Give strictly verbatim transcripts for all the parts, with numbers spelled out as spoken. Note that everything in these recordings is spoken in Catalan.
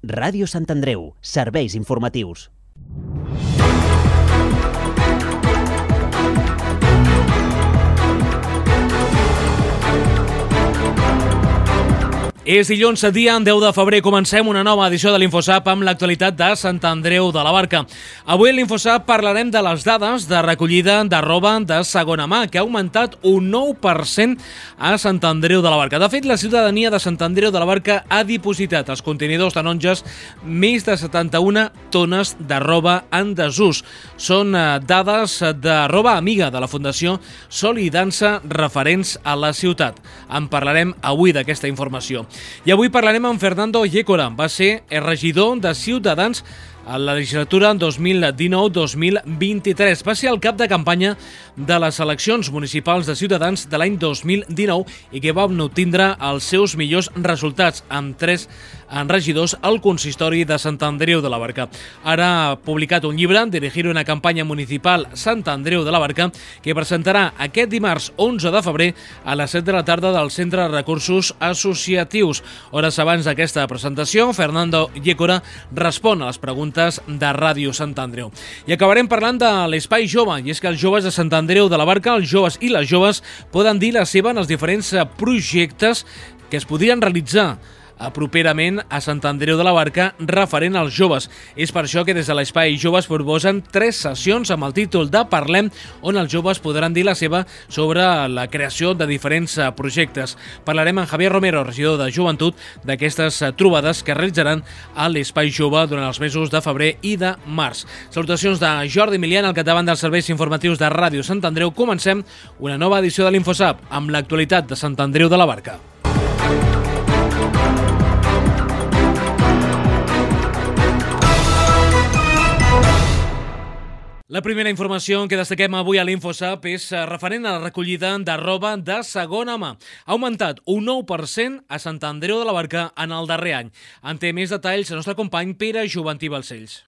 Ràdio Sant Andreu, serveis informatius. És dilluns, dia deu de febrer. Comencem una nova edició de l'Infosap amb l'actualitat de Sant Andreu de la Barca. Avui a l'Infosap parlarem de les dades de recollida de roba de segona mà, que ha augmentat un nou per cent a Sant Andreu de la Barca. De fet, la ciutadania de Sant Andreu de la Barca ha dipositat als contenidors taronges més de setanta-una tones de roba en desús. Són dades de roba amiga de la Fundació Sol i Dansa referents a la ciutat. En parlarem avui d'aquesta informació. I avui parlarem amb Fernando Yécora. Va ser el regidor de Ciutadans a la legislatura dos mil dinou dos mil vint-i-tres. Va ser el cap de campanya de les eleccions municipals de Ciutadans de l'any dos mil dinou i que va obtindre els seus millors resultats amb tres regidors al consistori de Sant Andreu de la Barca. Ara ha publicat un llibre, Dirigir una campanya municipal Sant Andreu de la Barca, que presentarà aquest dimarts onze de febrer a les set de la tarda del Centre de Recursos Associatius. Hores abans d'aquesta presentació, Fernando Yécora respon a les preguntes de Ràdio Sant Andreu. I acabarem parlant de l'Espai Jove, i és que els joves de Sant Andreu de la Barca, els joves i les joves, poden dir la seva en els diferents projectes que es podrien realitzar properament a Sant Andreu de la Barca referent als joves. És per això que des de l'Espai Joves proposen tres sessions amb el títol de Parlem, on els joves podran dir la seva sobre la creació de diferents projectes. Parlarem amb Javier Romero, regidor de Joventut, d'aquestes trobades que realitzaran a l'Espai Jove durant els mesos de febrer i de març. Salutacions de Jordi Milian, al capdavant dels serveis informatius de Ràdio Sant Andreu. Comencem una nova edició de l'Infosap amb l'actualitat de Sant Andreu de la Barca. La primera informació que destaquem avui a l'Infosap és referent a la recollida de roba de segona mà. Ha augmentat un nou per cent a Sant Andreu de la Barca en el darrer any. En té més detalls el nostre company Pere Joventí Balcells.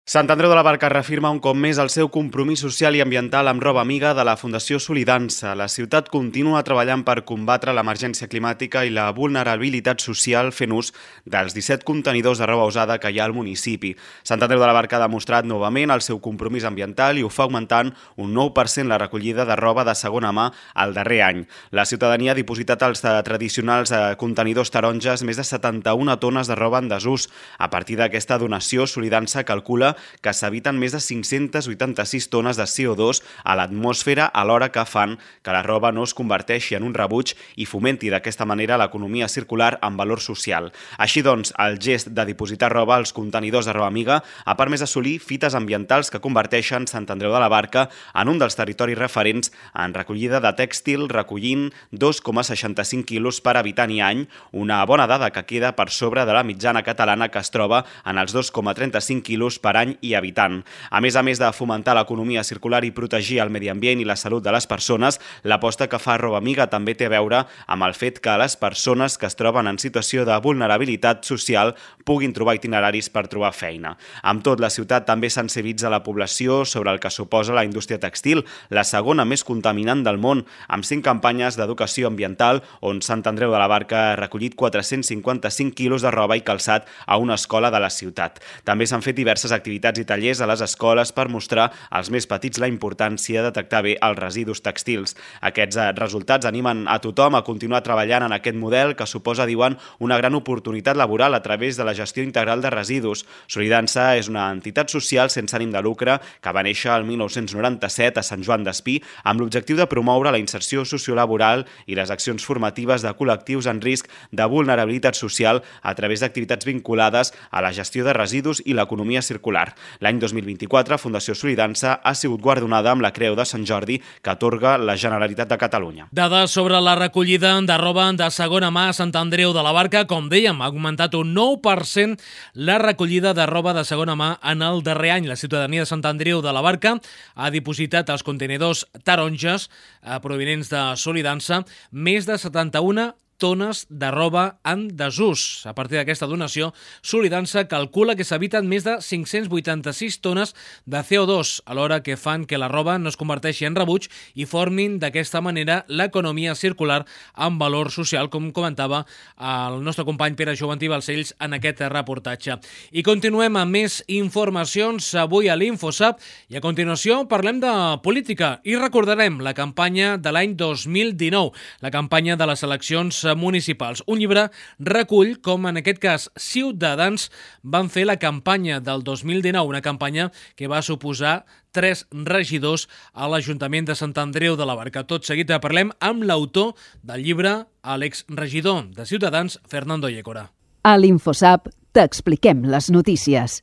Sant Andreu de la Barca reafirma un cop més el seu compromís social i ambiental amb roba amiga de la Fundació Sol i Dansa. La ciutat continua treballant per combatre l'emergència climàtica i la vulnerabilitat social fent ús dels disset contenidors de roba usada que hi ha al municipi. Sant Andreu de la Barca ha demostrat novament el seu compromís ambiental i ho fa augmentant un nou per cent la recollida de roba de segona mà el darrer any. La ciutadania ha dipositat als tradicionals contenidors taronges més de setanta-una tones de roba en desús. A partir d'aquesta donació, Sol i Dansa calcula que s'eviten més de cinc-centes vuitanta-sis tones de C O dos a l'atmosfera alhora que fan que la roba no es converteixi en un rebuig i fomenti d'aquesta manera l'economia circular amb valor social. Així doncs, el gest de dipositar roba als contenidors de roba amiga ha permès assolir fites ambientals que converteixen Sant Andreu de la Barca en un dels territoris referents en recollida de tèxtil, recollint dos coma seixanta-cinc quilos per habitant i any, una bona dada que queda per sobre de la mitjana catalana que es troba en els dos coma trenta-cinc quilos per any i habitant. A més a més de fomentar l'economia circular i protegir el medi ambient i la salut de les persones, l'aposta que fa Roba Amiga també té a veure amb el fet que les persones que es troben en situació de vulnerabilitat social puguin trobar itineraris per trobar feina. Amb tot, la ciutat també sensibilitza la població sobre el que suposa la indústria textil, la segona més contaminant del món, amb cinc campanyes d'educació ambiental on Sant Andreu de la Barca ha recollit quatre-cents cinquanta-cinc quilos de roba i calçat a una escola de la ciutat. També s'han fet diverses activitats i tallers a les escoles per mostrar als més petits la importància de detectar bé els residus textils. Aquests resultats animen a tothom a continuar treballant en aquest model que suposa, diuen, una gran oportunitat laboral a través de la gestió integral de residus. Sol i Dansa és una entitat social sense ànim de lucre que va néixer el mil nou-cents noranta-set a Sant Joan d'Espí amb l'objectiu de promoure la inserció sociolaboral i les accions formatives de col·lectius en risc de vulnerabilitat social a través d'activitats vinculades a la gestió de residus i l'economia circular. L'any dos mil vint-i-quatre, Fundació Sol i Dansa ha sigut guardonada amb la Creu de Sant Jordi que atorga la Generalitat de Catalunya. Dades sobre la recollida de roba de segona mà a Sant Andreu de la Barca. Com dèiem, ha augmentat un nou per cent la recollida de roba de segona mà en el darrer any. La ciutadania de Sant Andreu de la Barca ha dipositat als contenidors taronges eh, provinents de Sol i Dansa més de setanta-una tones de roba en desús. A partir d'aquesta donació, Solidança calcula que s'eviten més de cinc-cents vuitanta-sis tones de C O dos, alhora que fan que la roba no es converteixi en rebuig i formin d'aquesta manera l'economia circular amb valor social, com comentava el nostre company Pere Joventí Balcells en aquest reportatge. I continuem amb més informacions avui a l'InfoSap i a continuació parlem de política i recordarem la campanya de l'any dos mil dinou, la campanya de les eleccions municipals. Un llibre recull com en aquest cas Ciutadans van fer la campanya del dos mil dinou, una campanya que va suposar tres regidors a l'Ajuntament de Sant Andreu de la Barca. Tot seguit parlem amb l'autor del llibre, l'exregidor de Ciutadans, Fernando Yécora. A l'InfoSap t'expliquem les notícies.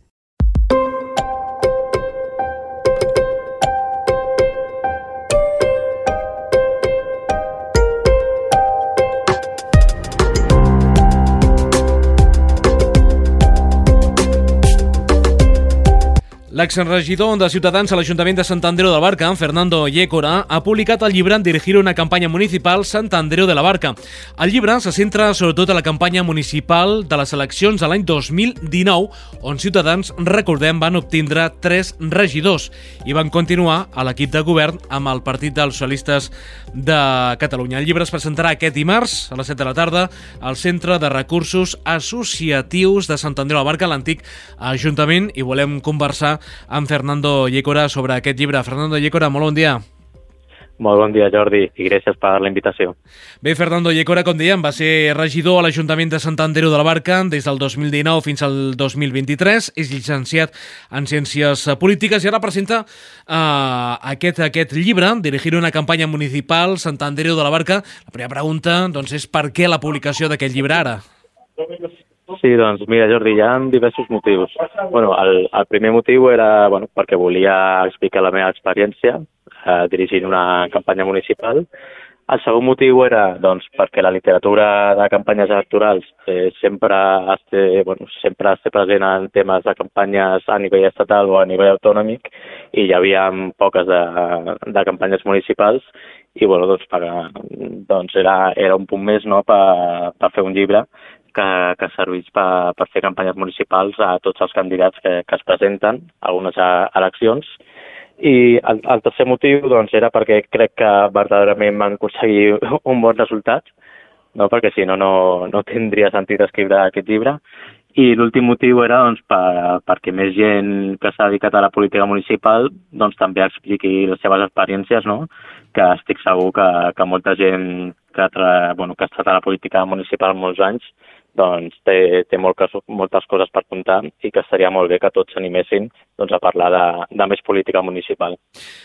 L'exregidor de Ciutadans a l'Ajuntament de Sant Andreu de la Barca, Fernando Yécora, ha publicat el llibre Dirigir una campanya municipal Sant Andreu de la Barca. El llibre se centra sobretot a la campanya municipal de les eleccions de l'any dos mil dinou, on Ciutadans, recordem, van obtindre tres regidors i van continuar a l'equip de govern amb el Partit dels Socialistes de Catalunya. El llibre es presentarà aquest dimarts a les set de la tarda al Centre de Recursos Associatius de Sant Andreu de la Barca, l'antic Ajuntament, i volem conversar amb Fernando Yécora sobre aquest llibre. Fernando Yécora, molt bon dia. Molt bon dia, Jordi, i gràcies per la invitació. Bé, Fernando Yécora, com dèiem, va ser regidor a l'Ajuntament de Sant Andreu de la Barca des del dos mil dinou fins al dos mil vint-i-tres, és llicenciat en Ciències Polítiques i ara presenta uh, aquest, aquest llibre, Dirigir una campanya municipal Sant Andreu de la Barca. La primera pregunta doncs, és per què la publicació d'aquest llibre ara? Sí, doncs mira, Jordi, hi ha diversos motius. Bueno, el, el primer motiu era bueno, perquè volia explicar la meva experiència eh, dirigint una campanya municipal. El segon motiu era doncs, perquè la literatura de campanyes electorals eh, sempre, esté, bueno, sempre esté present en temes de campanyes a nivell estatal o a nivell autonòmic i hi havia poques de, de campanyes municipals i bueno, doncs, per, doncs era, era un punt més no, per, per fer un llibre que, que serveix per, per fer campanyes municipals a tots els candidats que, que es presenten a algunes eleccions. I el, el tercer motiu doncs, era perquè crec que verdaderament van aconseguir un bon resultat, no? Perquè si no, no, no tindria sentit escriure aquest llibre. I l'últim motiu era doncs, per, perquè més gent que s'ha dedicat a la política municipal doncs, també expliqui les seves experiències, no? Que estic segur que, que molta gent que, tra... bueno, que ha estat a la política municipal molts anys doncs té, té moltes, moltes coses per contar i que estaria molt bé que tots s'animessin doncs, a parlar de, de més política municipal.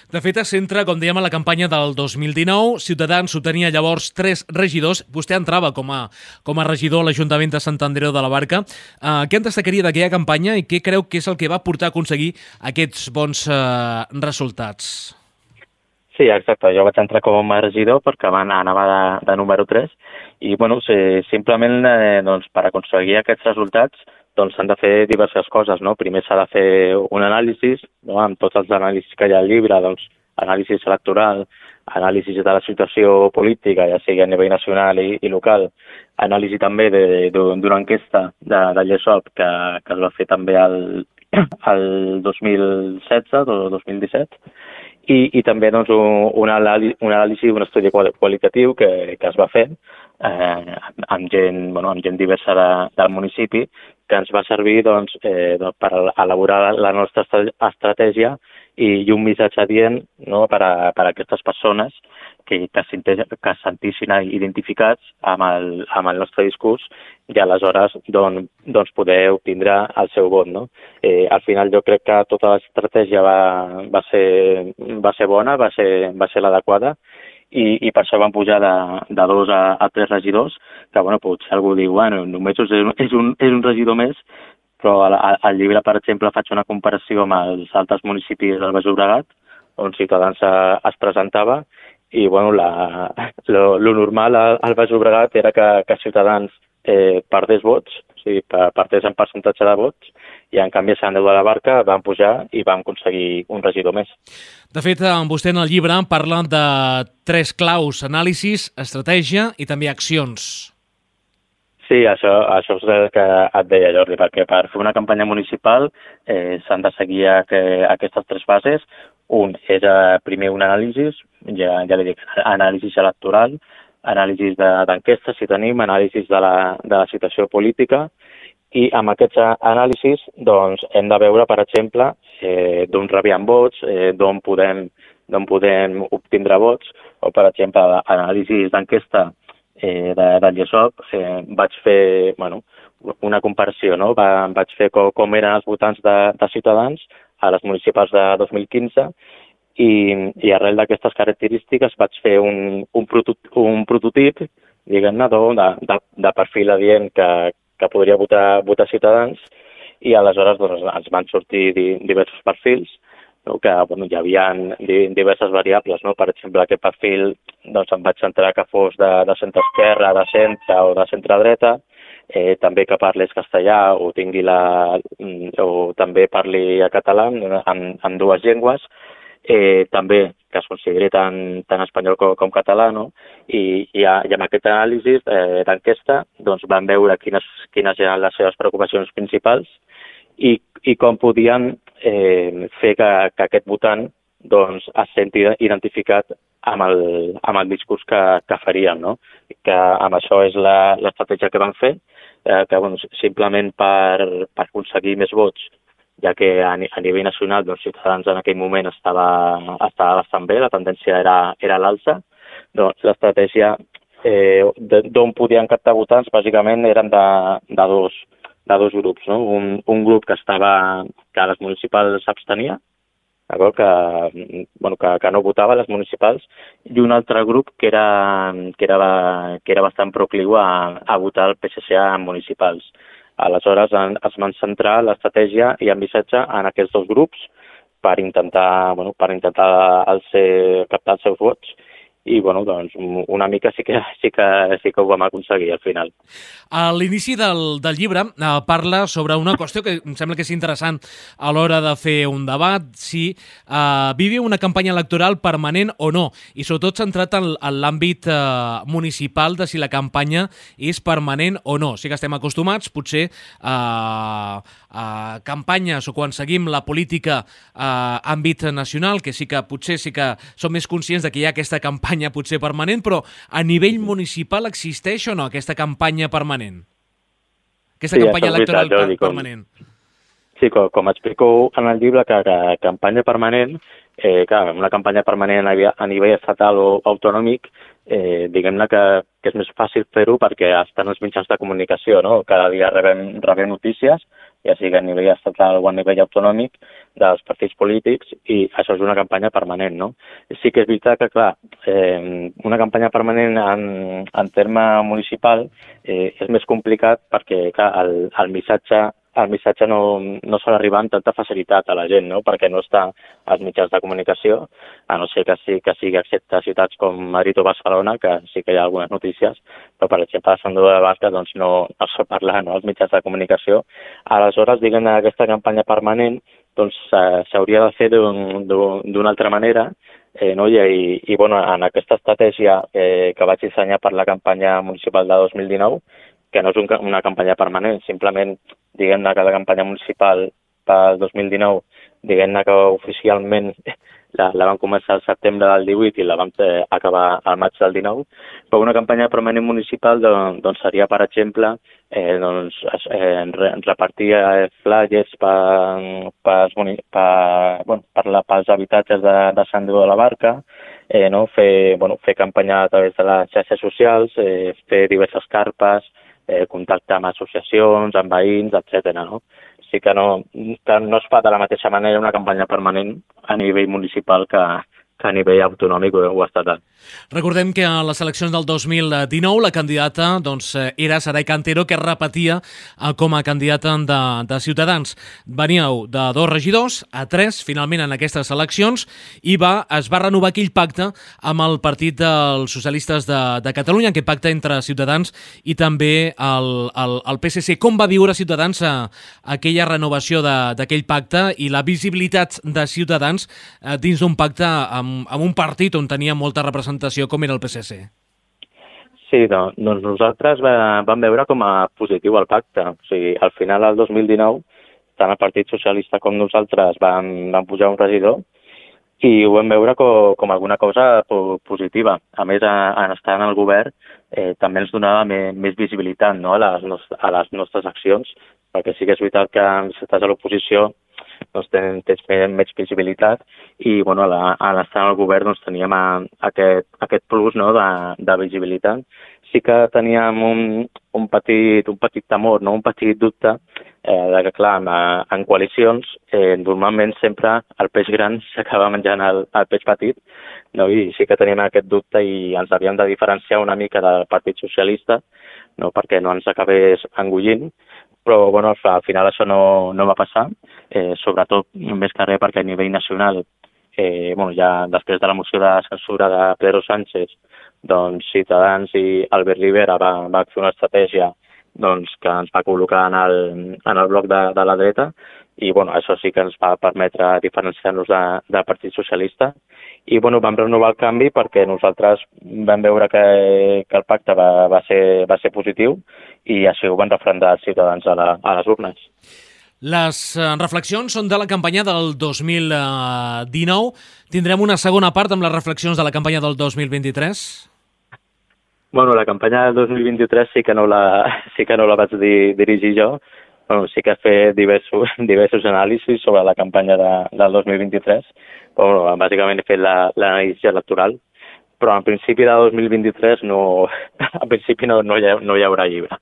De fet, es centra, com dèiem, a la campanya del dos mil dinou. Ciutadans obtenia llavors tres regidors. Vostè entrava com a, com a regidor a l'Ajuntament de Sant Andreu de la Barca. Uh, què en destacaria d'aquella campanya i què creu que és el que va portar a aconseguir aquests bons uh, resultats? Sí, exacte. Jo vaig entrar com a regidor perquè anava de, de número tres i, bueno, sí, simplement eh, doncs, per aconseguir aquests resultats doncs s'han de fer diverses coses, no? Primer s'ha de fer un anàlisi, no? Amb tots els anàlisis que hi ha al llibre, doncs, anàlisi electoral, anàlisi de la situació política, ja sigui a nivell nacional i, i local, anàlisi també d'una enquesta de, de Llesop que, que es va fer també al, al dos mil setze o dos mil disset, I, i també doncs, un, un anàlisi, un estudi qualitatiu que, que es va fer eh, amb, gent, bueno, amb gent diversa de, del municipi que ens va servir doncs, eh, doncs, per elaborar la nostra estratègia i, i un missatge adient no, per, a, per a aquestes persones que, que, que es sentissin identificats amb el, amb el nostre discurs i aleshores doncs, doncs poder obtindre el seu vot. No? Eh, al final jo crec que tota l'estratègia va, va, ser, va ser bona, va ser, va ser l'adequada i, i per això van pujar de, de dos a, a tres regidors, que bueno, potser algú diu, bueno, només és un, és un, és un regidor més, però al, al llibre, per exemple, faig una comparació amb els altres municipis del Baix Llobregat, on Ciutadans es presentava, i bueno, la, lo, lo normal al, al Baix Llobregat era que, que Ciutadans eh, perdés vots, o sigui, perdés en percentatge de vots, i en canvi a Sant Andreu de la Barca van pujar i van aconseguir un regidor més. De fet, vostè en el llibre parla de tres claus: anàlisis, estratègia i també accions. Sí, això, això és el que et deia, Jordi, perquè per fer una campanya municipal eh, s'han de seguir a que, aquestes tres fases. Un és eh, primer un anàlisi, ja, ja li dic, anàlisi electoral, anàlisi d'enquestes, si tenim, anàlisi de la, de la situació política, i amb aquests anàlisis doncs, hem de veure, per exemple, eh, d'on rebien vots, eh, d'on podem, d'on podem obtindre vots, o, per exemple, anàlisis d'enquesta Eh, de, del I E S O P, eh, vaig fer bueno, una comparació, no? Va, vaig fer com, com eren els votants de, de Ciutadans a les municipals de dos mil quinze i, i arrel d'aquestes característiques vaig fer un, un, prototip, un prototip, diguem-ne, de, de, de perfil adient que, que podria votar, votar Ciutadans, i aleshores doncs, ens van sortir di, diversos perfils, no? Que bueno, hi havia diverses variables, no? Per exemple, aquest perfil doncs, em vaig centrar que fos de, de centre-esquerra, de centre o de centre-dreta, eh, també que parlés castellà o tingui la, o també parli català en, en dues llengües, eh, també que es consideri tant, tant espanyol com, com català, no? I, i, a, i amb aquest anàlisi eh, d'enquesta doncs, van veure quines, quines eren les seves preocupacions principals i, i com podien eh, fer que, que aquest votant doncs, es senti identificat amb el, amb el discurs que, que farien, no? Que amb això és l'estratègia que van fer, eh, que doncs, simplement per, per aconseguir més vots, ja que a, a nivell nacional doncs, Ciutadans en aquell moment estava, estava bastant bé, la tendència era, era l'alça, doncs l'estratègia eh, d'on podien captar votants bàsicament eren de, de dos de dos grups, no? Un, un grup que estava, que a les municipals s'abstenia, que, bueno, que, que no votava a les municipals, i un altre grup que era, que era, que era bastant procliu a, a votar el P S C en municipals. Aleshores en, es van centrar l'estratègia i el missatge en aquests dos grups per intentar, bueno, per intentar el ser, captar els seus vots. I, bueno, doncs, una mica sí que, sí que, sí que ho vam aconseguir al final. A l'inici del, del llibre eh, parla sobre una qüestió que em sembla que és interessant a l'hora de fer un debat, si eh, vivi una campanya electoral permanent o no, i sobretot centrat en, en l'àmbit eh, municipal de si la campanya és permanent o no. Sí que estem acostumats, potser, a, a campanyes o quan seguim la política a àmbit nacional, que sí que potser sí que som més conscients de que hi ha aquesta campanya potser permanent, però a nivell municipal existeix o no aquesta campanya permanent? Aquesta sí, campanya electoral veritat, Jordi, permanent. Com, sí, com, com explico en el llibre, que, que campanya permanent, eh, clar, una campanya permanent a, a nivell estatal o autonòmic, eh, diguem-ne que, que és més fàcil fer-ho perquè estan els mitjans de comunicació, no? Cada dia rebem, rebem notícies, ja sigui a nivell estatal o a nivell autonòmic, dels partits polítics, i això és una campanya permanent, no? Sí que és veritat que, clar, eh, una campanya permanent en, en terme municipal eh, és més complicat perquè, clar, el, el missatge el missatge no, no sol arribar amb tanta facilitat a la gent, no? Perquè no està als mitjans de comunicació, a no ser que, sí, que sigui excepte ciutats com Madrid o Barcelona, que sí que hi ha algunes notícies, però per exemple a Sant Andreu de la Barca doncs, no, no es pot parlar, no?, als mitjans de comunicació. Aleshores, diguem, aquesta campanya permanent doncs s'hauria de fer d'una altra manera, eh, no? I, i, i bueno, en aquesta estratègia eh, que vaig dissenyar per la campanya municipal de dos mil dinou, que no és un, una campanya permanent, simplement diguem-ne que la campanya municipal pel dos mil dinou, diguem-ne que oficialment la, la vam començar al setembre del divuit i la vam eh, acabar al maig del dinou, però una campanya permanent municipal doncs, doncs seria, per exemple, eh, doncs, eh, repartir flyers per, per, per, bueno, per la, pels habitatges de, de Sant Andreu de la Barca, eh, no? fer, bueno, fer campanya a través de les xarxes socials, eh, fer diverses carpes, eh, contactar amb associacions, amb veïns, etcètera. No? Sí que no, que no es fa de la mateixa manera una campanya permanent a nivell municipal que, que a nivell autonòmic o, o estatal. Recordem que a les eleccions del dos mil dinou la candidata doncs, era Saray Cantero, que repetia com a candidata de, de Ciutadans. Veníeu de dos regidors a tres, finalment, en aquestes eleccions, i va, es va renovar aquell pacte amb el Partit dels Socialistes de, de Catalunya, aquest pacte entre Ciutadans i també el, el, el P S C. Com va viure Ciutadans a, a aquella renovació d'aquell pacte i la visibilitat de Ciutadans a, dins d'un pacte amb, amb un partit on tenia molta representació com era el P S C? Sí, doncs, doncs nosaltres va, vam veure com a positiu el pacte. O sigui, al final, el dos mil dinou, tant el Partit Socialista com nosaltres vam, vam pujar un regidor i ho vam veure com, com alguna cosa positiva. A més, a, en estar en el govern eh, també ens donava més, més visibilitat, no?, a, les, a les nostres accions, perquè sí que és veritat que si estàs a l'oposició doncs tens, tens més visibilitat i bueno, a, la, a l'estar en el govern doncs, teníem a, aquest, aquest plus, no?, de, de visibilitat. Sí que teníem un, un, petit, un petit temor, no?, un petit dubte eh, de que, clar, en, en coalicions eh, normalment sempre el peix gran s'acaba menjant el, el peix petit, no? I sí que teníem aquest dubte i ens havíem de diferenciar una mica del Partit Socialista, no?, perquè no ens acabés engullint. Però bueno, al final això no, no va passar, eh, sobretot més que res perquè a nivell nacional, eh, bueno, ja després de la moció de censura de Pedro Sánchez, doncs Ciutadans i Albert Rivera va, va fer una estratègia doncs, que ens va col·locar en el, en el bloc de, de la dreta i bueno, això sí que ens va permetre diferenciar-nos de, del Partit Socialista i bueno, vam renovar el canvi perquè nosaltres vam veure que, que el pacte va, va, ser, va ser positiu i així ho van refrendar els ciutadans a, la, a les urnes. Les reflexions són de la campanya del dos mil dinou. Tindrem una segona part amb les reflexions de la campanya del dos mil vint-i-tres? Bueno, la campanya del dos mil vint-i-tres sí que no la, sí que no la vaig di, dirigir jo. Bueno, sí que he fet diversos, diversos anàlisis sobre la campanya de, del dos mil vint-i-tres. Bueno, bàsicament he fet l'anàlisi electoral, però en principi de dos mil vint-i-tres no, en principi no, no, hi, ha, no hi haurà llibre.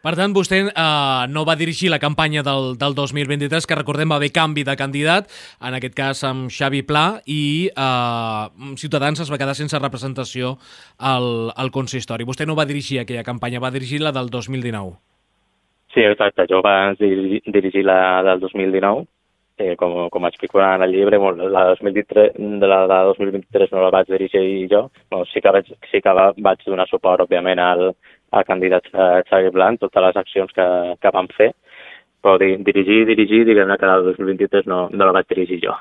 Per tant, vostè eh, no va dirigir la campanya del, del dos mil vint-i-tres, que recordem va haver canvi de candidat, en aquest cas amb Xavi Pla, i eh, Ciutadans es va quedar sense representació al, al consistori. Vostè no va dirigir aquella campanya, va dirigir la del dos mil dinou. Sí, exacte. Jo vaig dirigir, dirigir la del dos mil dinou, eh, com, com explico en el llibre, la de dos mil vint-i-tres, de la de dos mil vint-i-tres no la vaig dirigir jo. Bueno, sí que vaig, sí que vaig donar suport, òbviament, al, al candidat Xavi Blanc, totes les accions que, que vam fer, però dirigir, dirigir, diguem-ne que el dos mil vint-i-tres no, no la vaig dirigir jo.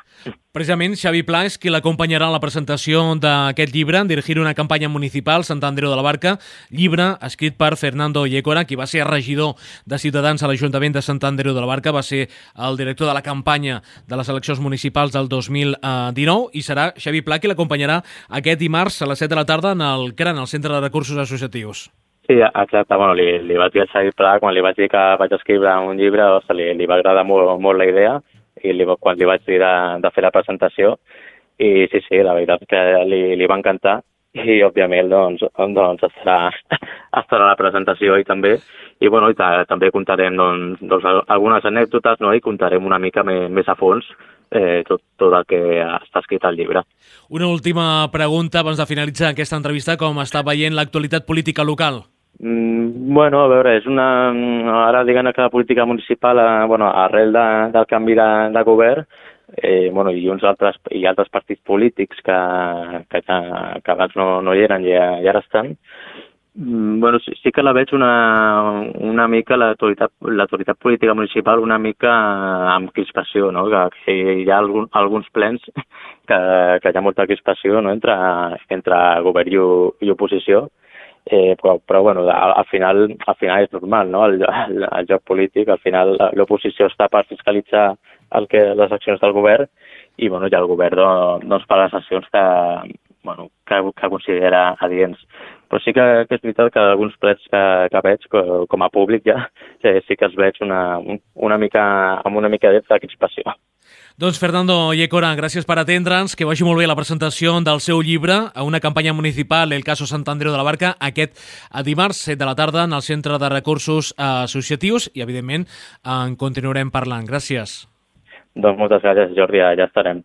Precisament, Xavi Pla és qui l'acompanyarà en la presentació d'aquest llibre, Dirigir una campanya municipal, Sant Andreu de la Barca, llibre escrit per Fernando Yécora, qui va ser regidor de Ciutadans a l'Ajuntament de Sant Andreu de la Barca, va ser el director de la campanya de les eleccions municipals del dos mil dinou, i serà Xavi Pla qui l'acompanyarà aquest dimarts a les set de la tarda en el C R A N, el Centre de Recursos Associatius. Sí, exacte. Bueno, li, li vaig dir a Xavi Pla, quan li vaig dir que vaig escriure un llibre, ostres, li, li va agradar molt, molt la idea, i li, quan li vaig dir de, de fer la presentació, i sí, sí, la veritat que li, li va encantar, i òbviament doncs, doncs estarà, estarà a la presentació i també, i bueno, i també contarem doncs, doncs, algunes anècdotes, no?, i contarem una mica més, més a fons eh, tot, tot el que està escrit al llibre. Una última pregunta abans de finalitzar aquesta entrevista, com està veient l'actualitat política local? Mm, bueno, a veure, és una... Ara diguem que la política municipal, eh, bueno, arrel de, del canvi de, de govern, eh, bueno, i uns altres, i altres partits polítics que, que, que abans no, no hi eren i, i ara estan, mm, bueno, sí, sí que la veig una, una mica l'autoritat l'autoritat política municipal una mica amb crispació, no? Que, que hi ha algun, alguns plens que, que hi ha molta crispació, no?, entre, entre govern i, i oposició. Eh, però, però bueno, al, al, final, al final és normal, no?, el, el, el joc polític. Al final l'oposició està per fiscalitzar el que, les accions del govern i, bueno, ja el govern doncs, fa les accions que, bueno, que, que considera adients. Però sí que, que és veritat que alguns plets que, que veig, com a públic ja, sí que els veig una, una mica, amb una mica de crispació. Doncs Fernando Yécora, gràcies per atendre'ns, que vagi molt bé la presentació del seu llibre a una campanya municipal, El caso Sant Andreu de la Barca, aquest dimarts, set de la tarda, en el Centre de Recursos Associatius, i evidentment en continuarem parlant. Gràcies. Doncs moltes gràcies, Jordi, ja estarem.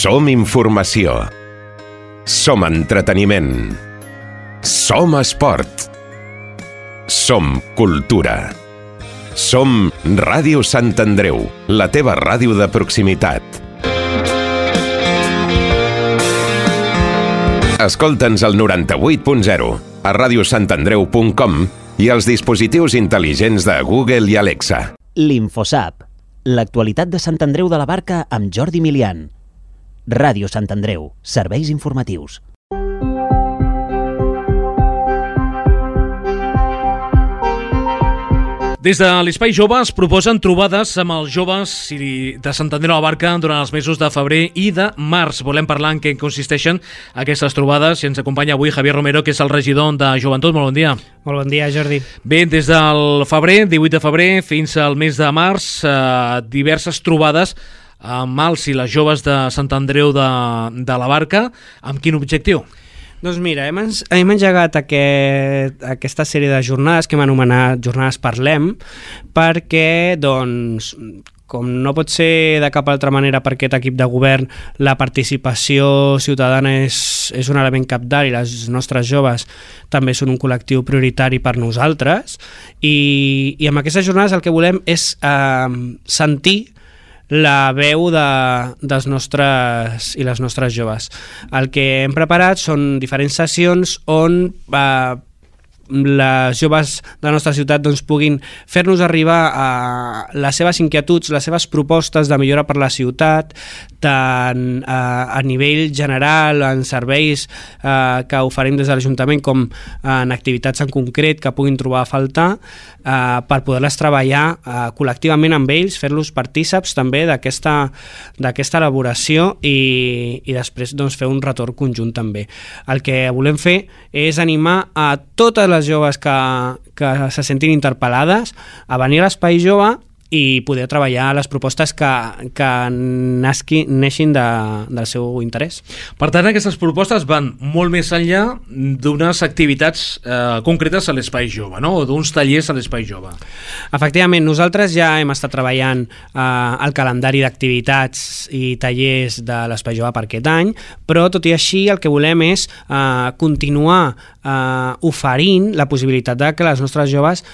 Som informació. Som entreteniment. Som esport. Som cultura. Som Ràdio Sant Andreu, la teva ràdio de proximitat. Escolta'ns al noranta-vuit punt zero, a radiosantandreu punt com i als dispositius intel·ligents de Google i Alexa. L'Infosap, l'actualitat de Sant Andreu de la Barca amb Jordi Milian. Ràdio Sant Andreu, serveis informatius. Des de l'Espai Jove es proposen trobades amb els joves de Sant Andreu de la Barca durant els mesos de febrer i de març. Volem parlar en què consisteixen aquestes trobades i ens acompanya avui Javier Romero, que és el regidor de Joventut. Molt bon dia. Molt bon dia, Jordi. Bé, des del febrer, divuit de febrer, fins al mes de març, eh, diverses trobades amb els i les joves de Sant Andreu de, de la Barca. Amb quin objectiu? Doncs mira, hem, hem engegat aquest, aquesta sèrie de jornades que hem anomenat Jornades Parlem, perquè, doncs, com no pot ser de cap altra manera per aquest equip de govern, la participació ciutadana és, és un element cabdal i les nostres joves també són un col·lectiu prioritari per nosaltres, i, i amb aquestes jornades el que volem és eh, sentir la veu de, dels nostres i les nostres joves. El que hem preparat són diferents sessions on eh, les joves de la nostra ciutat doncs, puguin fer-nos arribar a les seves inquietuds, les seves propostes de millora per la ciutat, tant a, a nivell general, en serveis eh, que oferim des de l'Ajuntament, com en activitats en concret que puguin trobar a faltar, eh, per poder-les treballar eh, col·lectivament amb ells, fer-los partíceps també d'aquesta d'aquesta elaboració i, i després doncs, fer un retorn conjunt també. El que volem fer és animar a totes les les joves que, que se sentin interpel·lades a venir a l'Espai Jove i poder treballar les propostes que, que nasqui, neixin de, del seu interès. Per tant, aquestes propostes van molt més enllà d'unes activitats eh, concretes a l'Espai Jove, no? O d'uns tallers a l'Espai Jove. Efectivament, nosaltres ja hem estat treballant eh, el calendari d'activitats i tallers de l'Espai Jove per aquest any, però tot i així el que volem és eh, continuar eh, oferint la possibilitat de que les nostres joves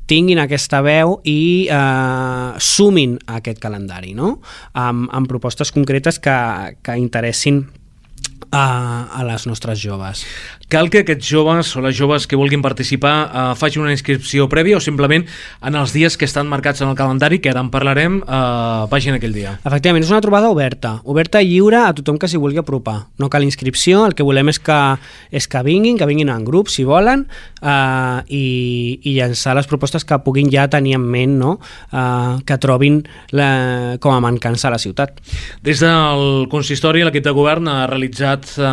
tinguin aquesta veu i eh, sumin a aquest calendari, no? amb, amb propostes concretes que, que interessin a, a les nostres joves. Cal que aquests joves o les joves que vulguin participar eh, facin una inscripció prèvia o simplement en els dies que estan marcats en el calendari, que ara en parlarem, eh, vagin aquell dia? Efectivament, és una trobada oberta, oberta i lliure a tothom que s'hi vulgui apropar. No cal inscripció, el que volem és que, és que vinguin, que vinguin en grup, si volen, eh, i, i llançar les propostes que puguin ja tenir en ment, no? eh, que trobin la, com a mancança a la ciutat. Des del consistori, l'equip de govern ha realitzat eh,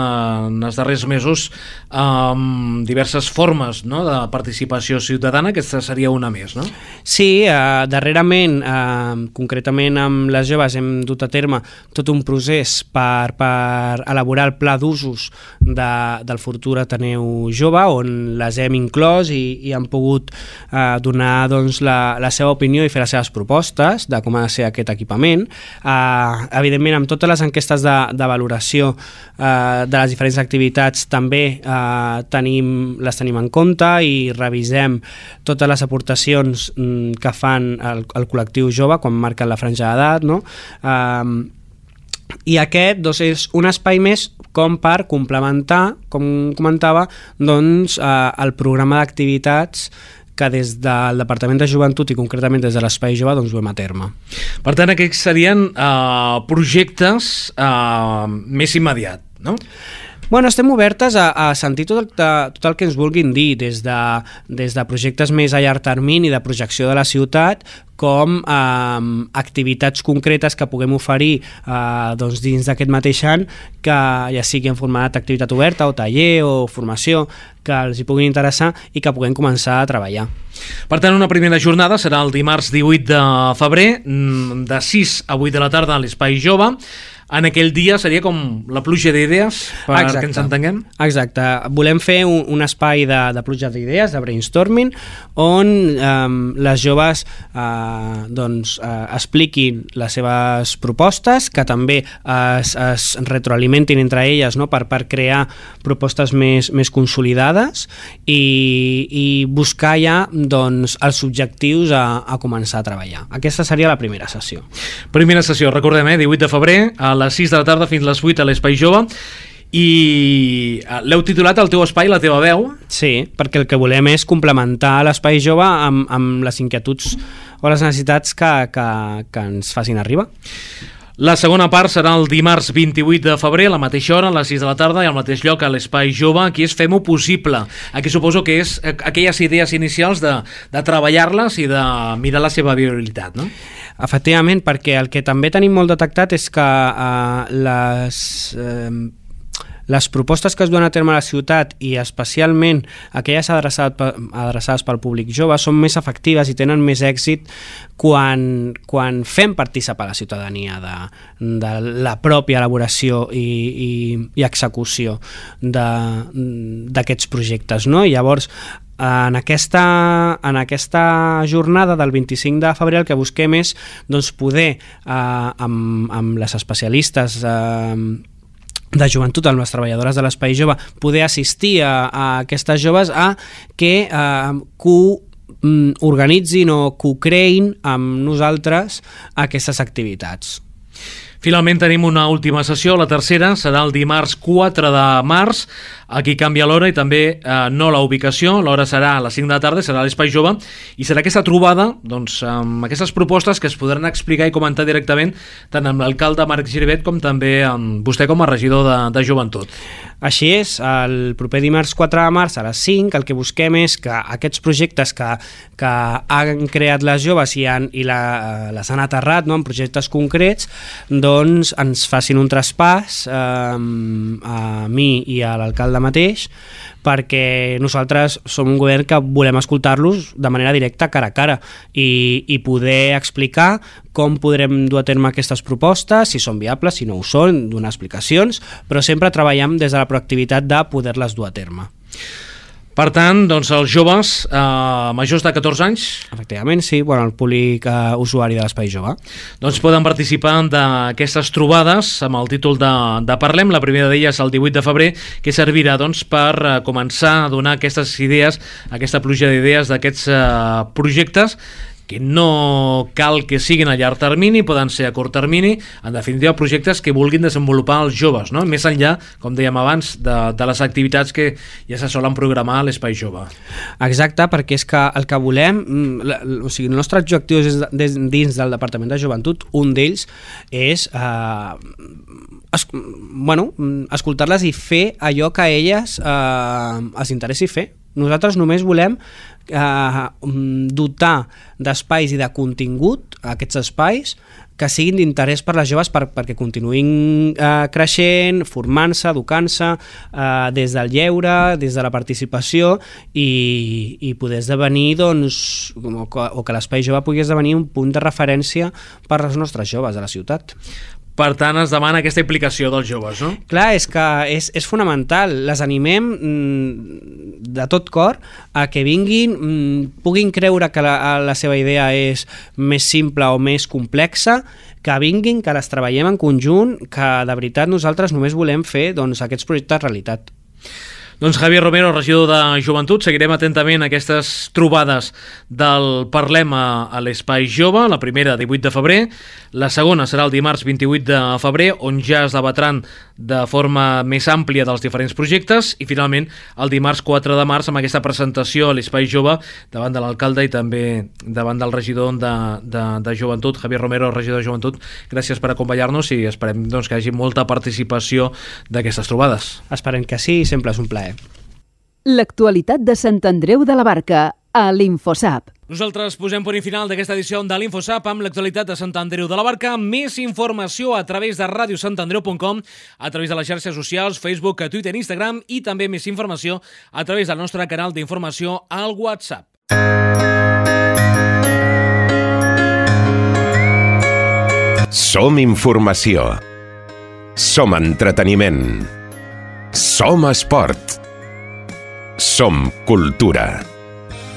en els darrers mesos amb diverses formes, no?, de participació ciutadana. Aquesta seria una més, no? Sí, eh, darrerament, eh, concretament amb les joves, hem dut a terme tot un procés per, per elaborar el pla d'usos de, del futur Ateneu Jove, on les hem inclòs i, i han pogut eh, donar doncs, la, la seva opinió i fer les seves propostes de com ha de ser aquest equipament. Eh, evidentment, amb totes les enquestes de, de valoració eh, de les diferents activitats també eh, tenim, les tenim en compte i revisem totes les aportacions mm, que fan el, el col·lectiu jove quan marquen la franja d'edat, no? Um, i aquest doncs, és un espai més com per complementar, com comentava, doncs, uh, el programa d'activitats que des del Departament de Joventut i concretament des de l'Espai Jove doncs, duem a terme. Per tant, aquests serien uh, projectes uh, més immediat, no? Bueno, estem obertes a, a sentir tot el, tot el que ens vulguin dir, des de, des de projectes més a llarg termini de projecció de la ciutat, com eh, activitats concretes que puguem oferir eh, doncs dins d'aquest mateix any, que ja sigui en format d'activitat oberta o taller o formació, que els hi puguin interessar i que puguem començar a treballar. Per tant, una primera jornada serà el dimarts divuit de febrer, de sis a vuit de la tarda a l'Espai Jove. en aquell dia seria com la pluja d'idees, perquè ens entenguem? Exacte. Volem fer un, un espai de, de pluja d'idees, de brainstorming, on eh, les joves eh, doncs, eh, expliquin les seves propostes, que també es, es retroalimentin entre elles, no? per, per crear propostes més, més consolidades i, i buscar ja doncs, els objectius a, a començar a treballar. Aquesta seria la primera sessió. Primera sessió, recordem, eh? divuit de febrer, a les sis de la tarda fins les vuit a l'Espai Jove, i l'heu titulat El teu espai, la teva veu. Sí, perquè el que volem és complementar l'Espai Jove amb, amb les inquietuds o les necessitats que, que, que ens facin arribar. La segona part serà el dimarts vint-i-vuit de febrer, a la mateixa hora, a les sis de la tarda, i al mateix lloc, a l'Espai Jove. Aquí és Fem-ho possible. Aquí suposo que és aquelles idees inicials de, de treballar-les i de mirar la seva viabilitat, no? Efectivament, perquè el que també tenim molt detectat és que eh, les, eh, les propostes que es duen a terme a la ciutat, i especialment aquelles adreçades, adreçades pel públic jove, són més efectives i tenen més èxit quan, quan fem participar la ciutadania de, de la pròpia elaboració i, i, i execució d'aquests projectes, no? I llavors, En aquesta, en aquesta jornada del vint-i-cinc de febrer el que busquem és doncs, poder, eh, amb, amb les especialistes eh, de joventut, amb les treballadores de l'Espai Jove, poder assistir a, a aquestes joves a que eh, co-organitzin o co-creïn amb nosaltres aquestes activitats. Finalment tenim una última sessió, la tercera serà el dimarts quatre de març. Aquí canvia l'hora i també eh, no la ubicació. L'hora serà a les cinc de la tarda, serà a l'Espai Jove, i serà aquesta trobada doncs, amb aquestes propostes que es podran explicar i comentar directament tant amb l'alcalde Marc Giribet com també amb vostè com a regidor de, de joventut. Així és, el proper dimarts quatre de març a les cinc el que busquem és que aquests projectes que, que han creat les joves i, han, i la, les han aterrat, no, en projectes concrets, doncs ens facin un traspàs eh, a mi i a l'alcalde mateix, perquè nosaltres som un govern que volem escoltar-los de manera directa, cara a cara, i, i poder explicar com podrem dur a terme aquestes propostes, si són viables, si no ho són, donar explicacions, però sempre treballem des de la proactivitat de poder-les dur a terme. Per tant, doncs els joves eh, majors de catorze anys... Efectivament, sí, bueno, el públic eh, usuari de l'Espai Jove. Doncs poden participar d'aquestes trobades amb el títol de, de Parlem. La primera d'elles el divuit de febrer, que servirà doncs, per eh, començar a donar aquestes idees, aquesta pluja d'idees d'aquests eh, projectes que no cal que siguin a llarg termini, poden ser a curt termini, en definitiva projectes que vulguin desenvolupar els joves, no? Més enllà, com dèiem abans, de, de les activitats que ja se solen programar a l'Espai Jove. Exacte, perquè és que el que volem, o sigui, el nostre objectiu és des, dins del Departament de Joventut, un d'ells és eh, es, bueno, escoltar-les i fer allò que a elles eh, els interessi fer. Nosaltres només volem eh, dotar d'espais i de contingut aquests espais que siguin d'interès per les joves per, perquè continuïn eh, creixent, formant-se, educant-se eh, des del lleure, des de la participació i, i poder esdevenir doncs, o que, o que l'Espai Jove pugui esdevenir un punt de referència per als nostres joves de la ciutat. Per tant, es demana aquesta implicació dels joves, no? Clar, és que és, és fonamental. Les animem mm, de tot cor a que vinguin, mm, puguin creure que la, la seva idea és més simple o més complexa, que vinguin, que les treballem en conjunt, que de veritat nosaltres només volem fer doncs, aquests projectes realitat. Doncs Javier Romero, regidor de Joventut, seguirem atentament aquestes trobades del Parlem a, a l'Espai Jove, la primera divuit de febrer, la segona serà el dimarts vint-i-vuit de febrer, on ja es debatran de forma més àmplia dels diferents projectes, i finalment el dimarts quatre de març amb aquesta presentació a l'Espai Jove davant de l'alcalde i també davant del regidor de, de, de Joventut, Javier Romero, regidor de Joventut. Gràcies per acompanyar-nos i esperem doncs, que hi hagi molta participació d'aquestes trobades. Esperem que sí, sempre és un plaer. L'actualitat de Sant Andreu de la Barca a l'Infosap. Nosaltres posem punt i final d'aquesta edició de l'Infosap amb l'actualitat de Sant Andreu de la Barca. Més informació a través de ràdio sant andreu punt com, a través de les xarxes socials, Facebook, Twitter, Instagram, i també més informació a través del nostre canal d'informació al WhatsApp. Som informació. Som entreteniment. Som esport. Som cultura.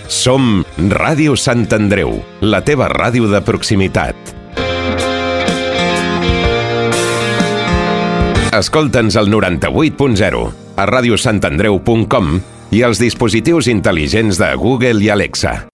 Som Ràdio Sant Andreu, la teva ràdio de proximitat. Escolta'ns al noranta-vuit punt zero, a radiosantandreu punt com i als dispositius intel·ligents de Google i Alexa.